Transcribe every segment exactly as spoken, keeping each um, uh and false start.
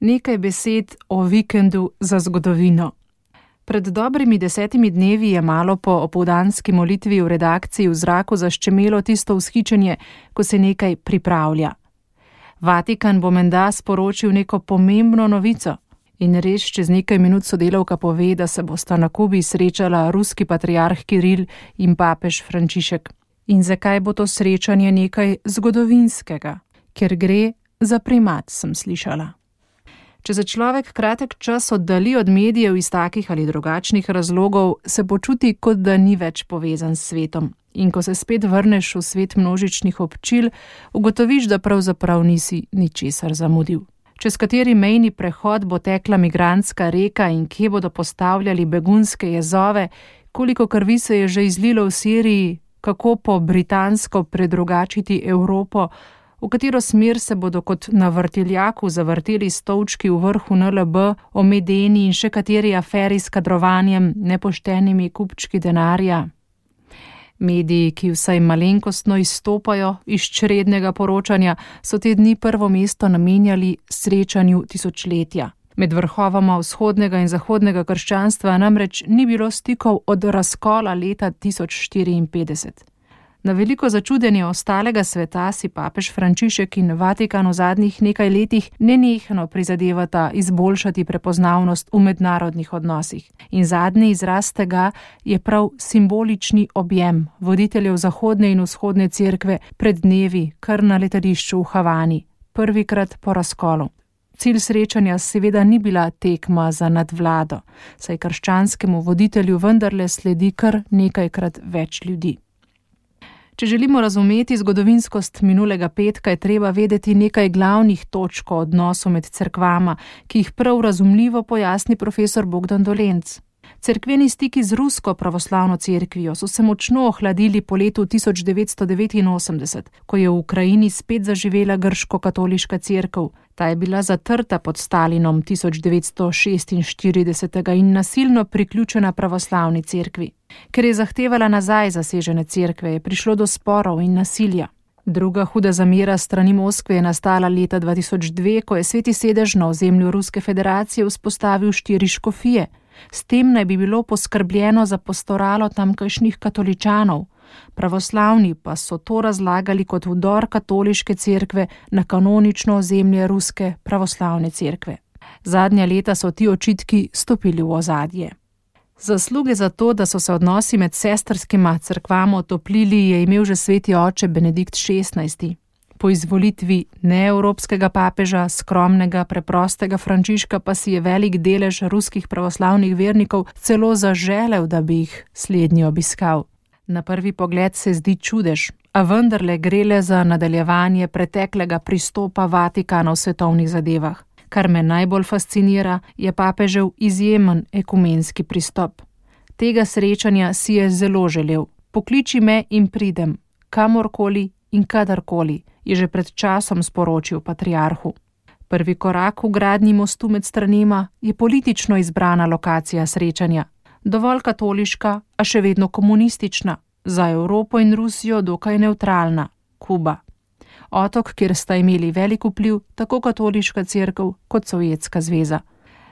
Nekaj besed o vikendu za zgodovino. Pred dobrimi desetimi dnevi je malo po opoldanski molitvi v redakciji v zraku zaščemelo tisto vzhičenje, ko se nekaj pripravlja. Vatikan bo menda sporočil neko pomembno novico in res čez nekaj minut sodelavka pove, da se bosta na Kubi srečala ruski patriarh Kiril in papež Frančišek. In zakaj bo to srečanje nekaj zgodovinskega? Ker gre za primat, sem slišala. Če se človek kratek čas oddali od medijev iz takih ali drugačnih razlogov, se počuti, kot da ni več povezan s svetom. In ko se spet vrneš v svet množičnih občil, ugotoviš, da pravzaprav nisi ničesar zamudil. Čez kateri mejni prehod bo tekla migrantska reka in kje bodo postavljali begunske jezove, koliko krvi se je že izlilo v Siriji, kako po britansko predrugačiti Evropo, v katero smer se bodo kot na vrtiljaku zavrteli stolčki v vrhu N L B, o Medeni in še kateri aferi s kadrovanjem, nepoštenimi kupčki denarja. Mediji, ki vsaj malenkostno izstopajo iz črednega poročanja, so te dni prvo mesto namenjali srečanju tisočletja. Med vrhovoma vzhodnega in zahodnega krščanstva namreč ni bilo stikov od razkola leta tisoč štiriinpetdeset. Na veliko začudenje ostalega sveta si papež Frančišek in Vatikan v zadnjih nekaj letih nenehno prizadevata izboljšati prepoznavnost v mednarodnih odnosih. In zadnji izraz tega je prav simbolični objem voditeljev zahodne in vzhodne cerkve pred dnevi kar na letališču v Havani, prvikrat po razkolu. Cilj srečanja seveda ni bila tekma za nadvlado, saj krščanskemu voditelju vendarle sledi kar nekajkrat več ljudi. Če želimo razumeti zgodovinskost minulega petka, je treba vedeti nekaj glavnih točk o odnosu med cerkvama, ki jih prav razumljivo pojasni profesor Bogdan Dolenc. Cerkveni stiki z rusko pravoslavno cerkvijo so se močno ohladili po letu tisoč devetsto devetinosemdeset, ko je v Ukrajini spet zaživela grško-katoliška cerkev. Ta je bila zatrta pod Stalinom tisoč devetsto šestinštirideset in nasilno priključena pravoslavni cerkvi. Ker je zahtevala nazaj zasežene cerkve, je prišlo do sporov in nasilja. Druga huda zamera strani Moskve je nastala leta dva tisoč dve, ko je Sveti sedež na ozemlju Ruske federacije vzpostavil štiri škofije. S tem naj bi bilo poskrbljeno za pastoralo tamkajšnjih katoličanov. Pravoslavni pa so to razlagali kot vdor katoliške cerkve na kanonično ozemlje Ruske pravoslavne cerkve. Zadnja leta so ti očitki stopili v ozadje. Zasluge za to, da so se odnosi med sestrskima cerkvama otoplili, je imel že sveti oče Benedikt šestnajsti. Po izvolitvi neevropskega papeža, skromnega, preprostega Frančiška pa si je velik delež ruskih pravoslavnih vernikov celo zaželel, da bi jih slednji obiskal. Na prvi pogled se zdi čudež, a vendarle gre le za nadaljevanje preteklega pristopa Vatikana v svetovnih zadevah. Kar me najbolj fascinira, je papežev izjemen ekumenski pristop. Tega srečanja si je zelo želel. Pokliči me in pridem, kamorkoli in kadarkoli, je že pred časom sporočil patriarhu. Prvi korak v gradnji mostu med stranema je politično izbrana lokacija srečanja. Dovolj katoliška, a še vedno komunistična, za Evropo in Rusijo dokaj nevtralna, Kuba. Otok, kjer sta imeli velik vpliv tako katoliška cerkev kot Sovjetska zveza.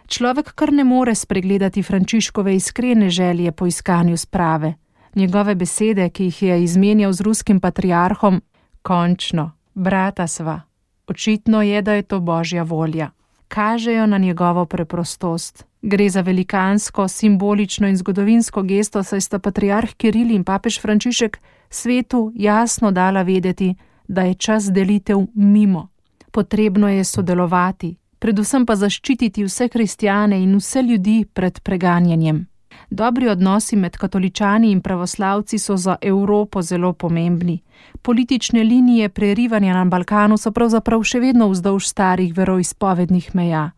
Človek kar ne more spregledati Frančiškove iskrene želje po iskanju sprave. Njegove besede, ki jih je izmenjal z ruskim patriarhom, končno, brata sva. Očitno je, da je to Božja volja. Kažejo na njegovo preprostost. Gre za velikansko, simbolično in zgodovinsko gesto, saj sta patriarh Kiril in papež Frančišek svetu jasno dala vedeti, da je čas delitev mimo. Potrebno je sodelovati, predvsem pa zaščititi vse kristjane in vse ljudi pred preganjanjem. Dobri odnosi med katoličani in pravoslavci so za Evropo zelo pomembni. Politične linije prerivanja na Balkanu so pravzaprav še vedno vzdolž starih veroizpovednih meja.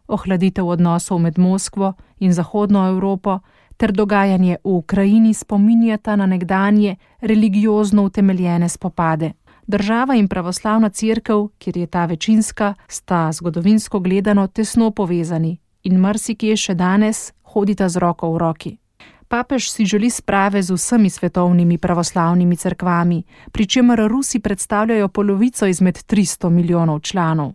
Ohladitev odnosov med Moskvo in Zahodno Evropo ter dogajanje v Ukrajini spominjata na nekdanje religiozno utemeljene spopade. Država in pravoslavna cerkev, kjer je ta večinska, sta zgodovinsko gledano tesno povezani in marsikje še danes hodita z roko v roki. Papež si želi sprave z vsemi svetovnimi pravoslavnimi cerkvami, pri čemer Rusi predstavljajo polovico izmed tristo milijonov članov.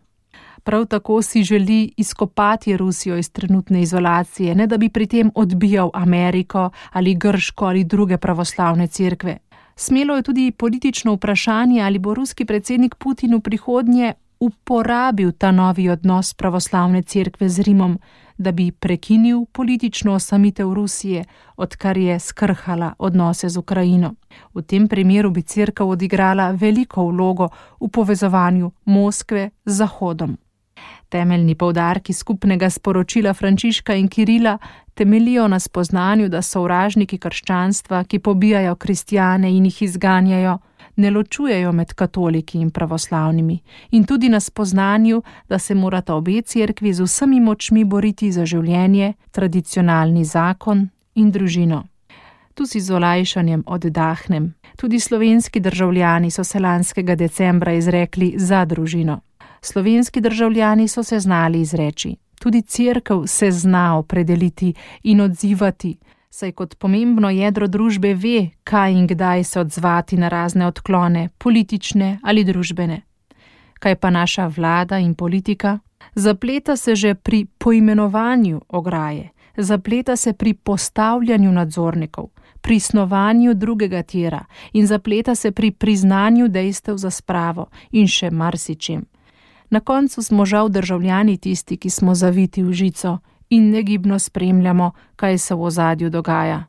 Prav tako si želi izkopati Rusijo iz trenutne izolacije, ne da bi pri tem odbijal Ameriko ali Grško ali druge pravoslavne cerkve. Smelo je tudi politično vprašanje, ali bo ruski predsednik Putin v prihodnje uporabil ta novi odnos pravoslavne cerkve z Rimom, da bi prekinil politično osamitev Rusije, odkar je skrhala odnose z Ukrajino. V tem primeru bi cerkev odigrala veliko vlogo v povezovanju Moskve z Zahodom. Temeljni poudarki skupnega sporočila Frančiška in Kirila temeljijo na spoznanju, da sovražniki krščanstva, ki pobijajo kristjane in jih izganjajo, ne ločujejo med katoliki in pravoslavnimi, in tudi na spoznanju, da se morata obe cerkvi z vsemi močmi boriti za življenje, tradicionalni zakon in družino. Tu si z olajšanjem oddahnem. Tudi slovenski državljani so se lanskega decembra izrekli za družino. Slovenski državljani so se znali izreči. Tudi cerkev se zna opredeliti in odzivati, saj kot pomembno jedro družbe ve, kaj in kdaj se odzvati na razne odklone, politične ali družbene. Kaj pa naša vlada in politika? Zapleta se že pri poimenovanju ograje, zapleta se pri postavljanju nadzornikov, pri snovanju drugega tira in zapleta se pri priznanju dejstev za spravo in še marsičem. Na koncu smo žal državljani tisti, ki smo zaviti v žico in negibno spremljamo, kaj se v ozadju dogaja.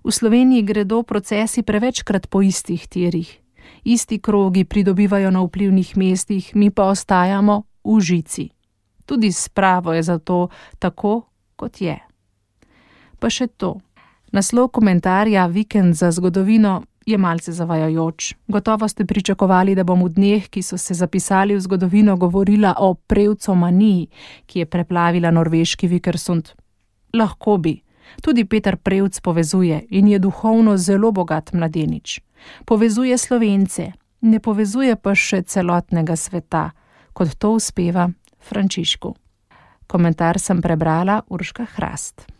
V Sloveniji gredo procesi prevečkrat po istih tirih. Isti krogi pridobivajo na vplivnih mestih, mi pa ostajamo v žici. Tudi spravo je zato tako, kot je. Pa še to. Naslov komentarja Vikend za zgodovino je malce zavajajoč. Gotovo ste pričakovali, da bom v dneh, ki so se zapisali v zgodovino, govorila o prevcomaniji, ki je preplavila norveški Vikersund. Lahko bi. Tudi Peter Prevc povezuje in je duhovno zelo bogat mladenič. Povezuje Slovence, ne povezuje pa še celotnega sveta, kot to uspeva Frančišku. Komentar sem prebrala Urška Hrast.